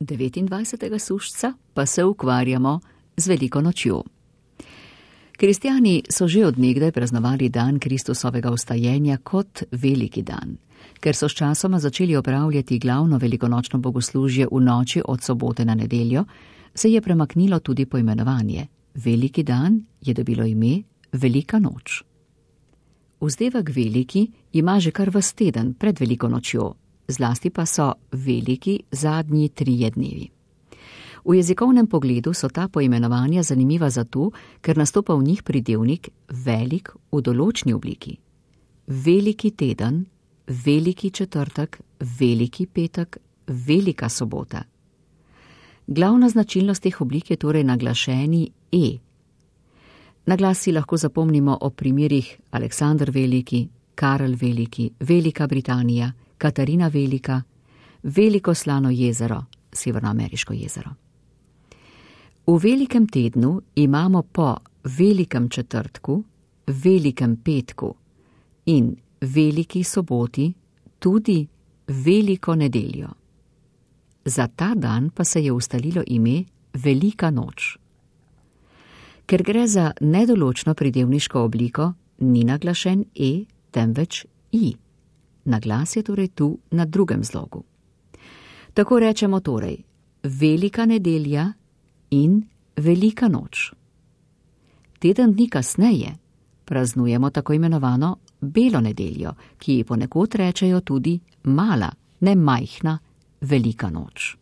29. sušca pa se ukvarjamo z veliko nočjo. Kristjani so že od nekdaj praznovali dan Kristusovega vstajenja kot veliki dan. Ker so sčasoma začeli opravljati glavno velikonočno bogoslužje v noči od sobote na nedeljo, se je premaknilo tudi poimenovanje. Veliki dan je dobilo ime Velika noč. Vzdevek veliki ima že kar ves teden pred veliko nočjo, zlasti pa so veliki zadnji 3 dnevi. V jezikovnem pogledu so ta poimenovanja zanimiva zato, ker nastopa v njih pridevnik velik v določni obliki. Veliki teden, veliki četrtek, veliki petek, velika sobota. Glavna značilnost teh oblik je torej naglašeni e. Naglas si lahko zapomnimo o primerih Aleksandr Veliki, Karel Veliki, Velika Britanija, Katarina Velika, Veliko slano jezero, Severnoameriško jezero. V velikem tednu imamo po velikem četrtku, velikem petku in veliki soboti tudi veliko nedeljo. Za ta dan pa se je ustalilo ime Velika noč. Ker gre za nedoločno pridevniško obliko, ni naglašen e, temveč i. Naglas je torej tu na drugem zlogu. Tako rečemo torej velika nedelja in velika noč. Teden dni kasneje praznujemo tako imenovano belo nedeljo, ki ji ponekod rečejo tudi mala, ne majhna, velika noč.